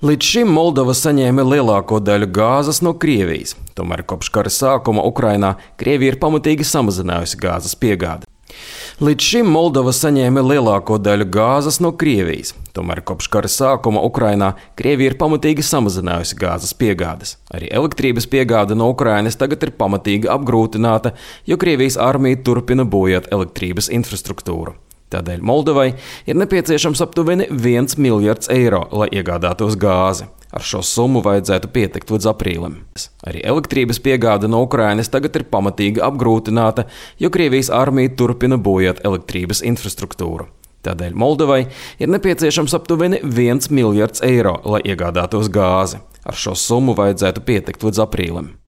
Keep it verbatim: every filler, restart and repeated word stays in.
Līdz šim Moldova saņēma lielāko daļu gāzes no Krievijas, tomēr kopš kara sākuma Ukrainā Krievija ir pamatīgi samazinājusi gāzes piegādi. Līdz šim Moldova saņēma lielāko daļu gāzes no Krievijas, tomēr kopš kara sākuma Ukrainā Krievija ir pamatīgi samazinājusi gāzes piegādes. Arī elektrības piegāde no Ukrainas tagad ir pamatīgi apgrūtināta, jo Krievijas armija turpina bojāt elektrības infrastruktūru. Tādēļ Moldovai ir nepieciešams aptuveni viens miljards eiro, lai iegādātos gāzi. Ar šo summu vajadzētu pietikt līdz aprīlim. Arī elektrības piegāde no Ukrainas tagad ir pamatīgi apgrūtināta, jo Krievijas armija turpina bojāt elektrības infrastruktūru. Tādēļ Moldovai ir nepieciešams aptuveni viens miljards eiro, lai iegādātos gāzi. Ar šo summu vajadzētu pietikt līdz aprīlim.